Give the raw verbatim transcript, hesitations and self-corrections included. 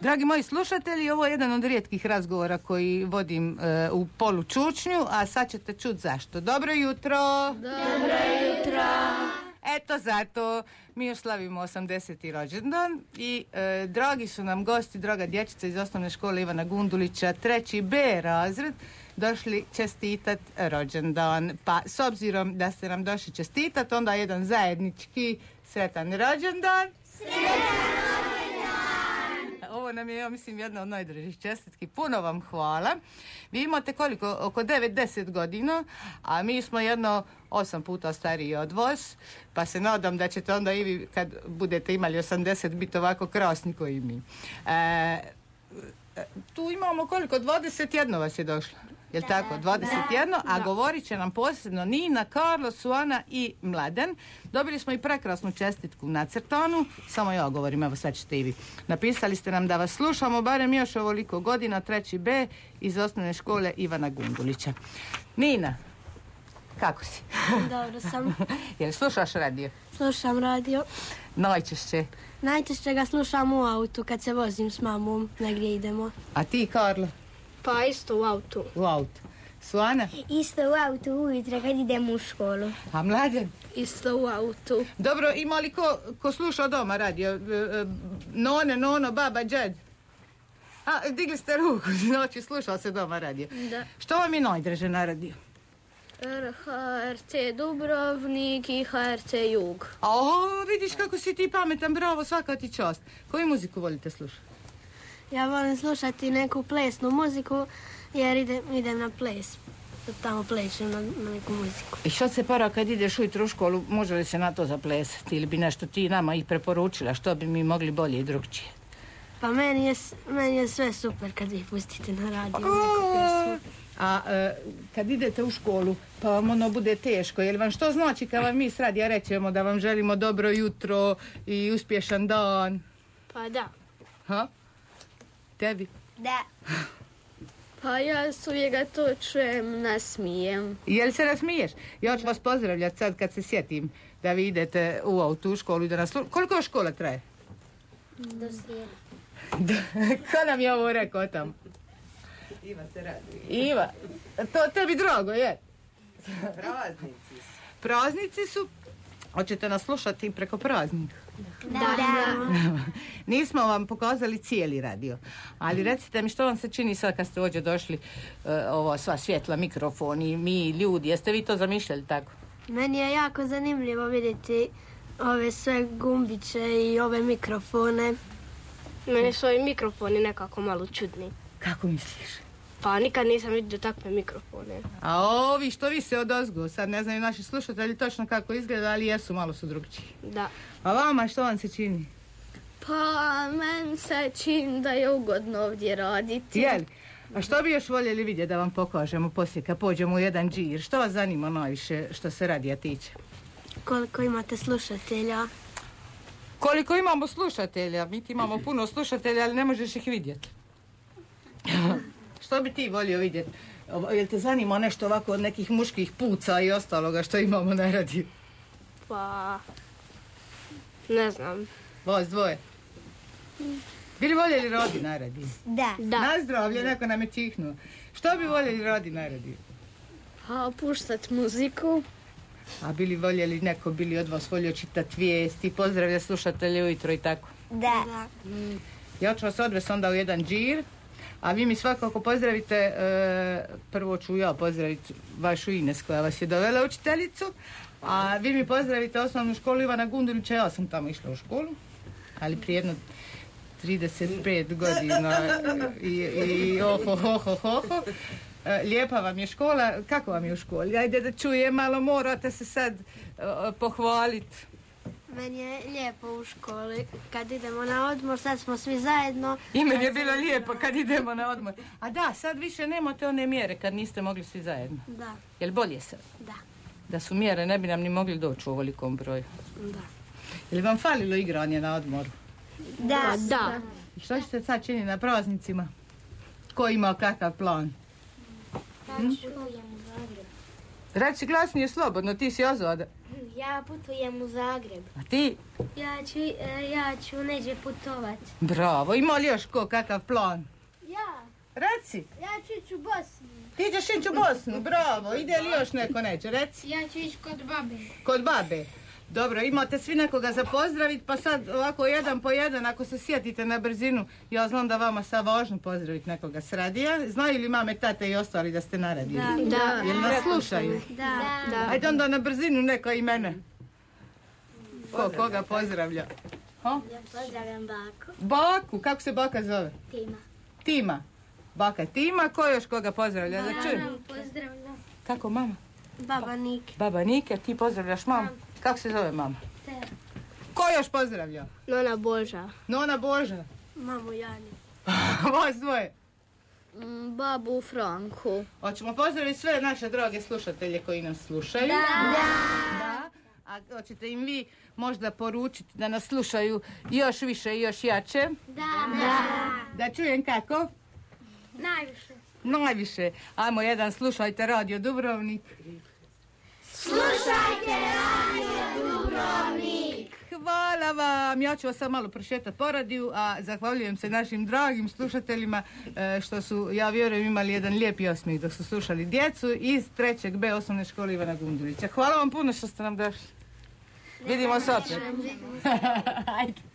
Dragi moji slušatelji, ovo je jedan od rijetkih razgovora koji vodim e, u polu čučnju, a sad ćete čuti zašto. Dobro jutro! Dobro jutro! Eto zato, mi još slavimo osamdeseti rođendan i e, dragi su nam gosti, draga dječica iz osnovne škole Ivana Gundulića, treći B razred, došli čestitat rođendan. Pa s obzirom da ste nam došli čestitat, onda jedan zajednički sretan rođendan. Sretan! Ovo nam je, ja mislim, jedna od najdražih čestitki. Puno vam hvala. Vi imate koliko? Oko devet deset godina, a mi smo jedno osam puta stariji od vas, pa se nadam da ćete onda i vi, kad budete imali osamdeset, biti ovako krasni koji mi. E, tu imamo koliko? dvadeset jedan vas je došlo. Jel' tako? dvadeset jedan, a da. Govorit će nam posebno Nina, Karlo, Suana i Mladen. Dobili smo i prekrasnu čestitku nacrtanu, samo ja govorim, evo sad ćete i vi. Napisali ste nam da vas slušamo barem još ovoliko godina, treći B iz osnovne škole Ivana Gundulića. Nina, kako si? Dobro sam. Jel slušaš radio? Slušam radio. Najčešće? Najčešće ga slušam u autu kad se vozim s mamom, negdje idemo. A ti, Karlo? Pa isto u autu. U autu. Suana? Isto u autu ujutro kad idemo u školu. A Mladen? Isto u autu. Dobro, ima li ko, ko sluša doma radio? None, nono, baba, džed? A, digli ste ruku, znači slušao se doma radio. Da. Što vam je najdraže na radio? H R C Dubrovnik i H R C Jug. O, vidiš kako si ti pametan, bravo, svaka ti čast. Koju muziku volite slušati? Ja volim slušati neku plesnu muziku jer idem, idem na ples. Tamo plešem na, na neku muziku. I što se para kad ideš ujutro u školu, može li se na to zaplesati ili bi nešto ti nama i preporučila, što bi mi mogli bolje i drugčije? Pa meni je, meni je sve super kad ih pustite na radiju neku pjesmu. A e, kad idete u školu, pa vam ono bude teško, je li vam što znači kad vam mi s radija rećemo da vam želimo dobro jutro i uspješan dan? Pa da. Ha? Tebi? Da. Pa ja s uvijek to čujem, nasmijem. Jel se nasmiješ? Ja ću vas pozdravljati sad kad se sjetim da vi idete u autu u školu i da nas... Koliko škola traje? Do srijede. Ko nam je ovo rekao tamo? Iva se raduje. Iva, to tebi drago, je? Praznici su. Praznici su? Hoćete nas slušati preko praznika? Da. da. Nismo vam pokazali cijeli radio, ali recite mi što vam se čini sad kad ste ovdje došli, uh, ovo sva svjetla, mikrofoni, mi ljudi, jeste vi to zamišljali tako? Meni je jako zanimljivo vidjeti ove sve gumbiće i ove mikrofone. Meni su ovi mikrofoni nekako malo čudni. Kako misliš? Pa nikad nisam vidio takve mikrofone. A ovi što vi se odozgo, sad ne znaju naši slušatelji točno kako izgleda, ali jesu, malo su drugčiji. Da. A vama što vam se čini? Pa meni se čini da je ugodno ovdje raditi. Jel? A što bi još voljeli vidjeti da vam pokažemo poslije kad pođemo u jedan džir? Što vas zanima najviše što se radija tiče? Koliko imate slušatelja? Koliko imamo slušatelja? Mi ti imamo puno slušatelja, ali ne možeš ih vidjeti. Što bi ti volio vidjeti? Jel te zanima nešto ovako od nekih muških puca i ostaloga što imamo na radiju? Pa... ne znam. Vas dvoje? Bi li voljeli radi na radiju? Da. Da. Na zdravlje, neko nam je čihnuo. Što bi voljeli radi na radiju? Pa puštat muziku. A bili voljeli neko, bili od vas volio čitati vijesti, pozdravlja slušatelje ujutro i tako? Da. Da. Ja ću vas odvesti onda u jedan džir, a vi mi svakako pozdravite, e, prvo ću ja pozdraviti vašu Ines koja vas je dovela učiteljicu, a vi mi pozdravite osnovnu školu Ivana Gundulića, ja sam tamo išla u školu, ali prije jedno trideset pet godina i, i oho, ho, ho, ho, ho. E, lijepa vam je škola, kako vam je u školi? Ajde da čujem, malo morate se sad uh, pohvaliti. Meni je lijepo u školi. Kad idemo na odmor, sad smo svi zajedno. I meni je bilo lijepo kad idemo na odmor. A da, sad više nemate one mjere kad niste mogli svi zajedno. Da. Jel bolje sad? Da. Da su mjere, ne bi nam ni mogli doći u ovolikom broju. Da. Jel vam falilo igranje na odmoru? Da. Da. I što ćete sad činiti na praznicima? Ko ima kakav plan? Hm? Reci glasnije slobodno, ti si ozvada. Ja putujem u Zagreb. A ti? Ja ću, e, ja ću neđe putovat. Bravo, ima li još ko kakav plan? Ja, Reci, ja ću ići u Bosnu. ti ćeš ići u Bosnu, bravo, ide li još neko neće, reci. Ja ću ići kod babe. Kod babe. Dobro, imate svi nekoga za pozdraviti, pa sad ovako jedan po jedan, ako se sjetite na brzinu, ja znam da vama sad važno pozdraviti nekoga s radija. Znaju li mame, tate i ostali da ste na radiju? Da. Jel nas slušaju? Da. Ajde onda na brzinu neko i mene. Ko, koga pozdravlja? Ha? Ja pozdravljam baku. Baku, kako se baka zove? Tima. Tima. Baka Tima, ko još koga pozdravlja? Da čujem. Pozdravljam. Kako mama? Baba Nike. Baba Nike, ti pozdravljaš mamu? Kako se zove mama? Tera. Ko još pozdravlja? Nona Boža. Nona Boža. Mamu Jani. Vas dvoje. Babu Franku. Hoćemo pozdraviti sve naše droge slušatelje koji nas slušaju. Da. Da. A hoćete im vi možda poručiti da nas slušaju još više i još jače? Da. Da. Da čujem kako? Najviše. Najviše. Ajmo jedan, slušajte Radio Dubrovnik. Slušajte Radio Dubrovnik. Hvala vam. Ja ću vas sad malo prošetati po radiju, a zahvaljujem se našim dragim slušateljima e, što su, ja vjerujem, imali jedan lijepi osmijeh dok su slušali djecu iz trećeg B osnovne škole Ivana Gundulića. Hvala vam puno što ste nam došli. Vidimo se opet. Ajde.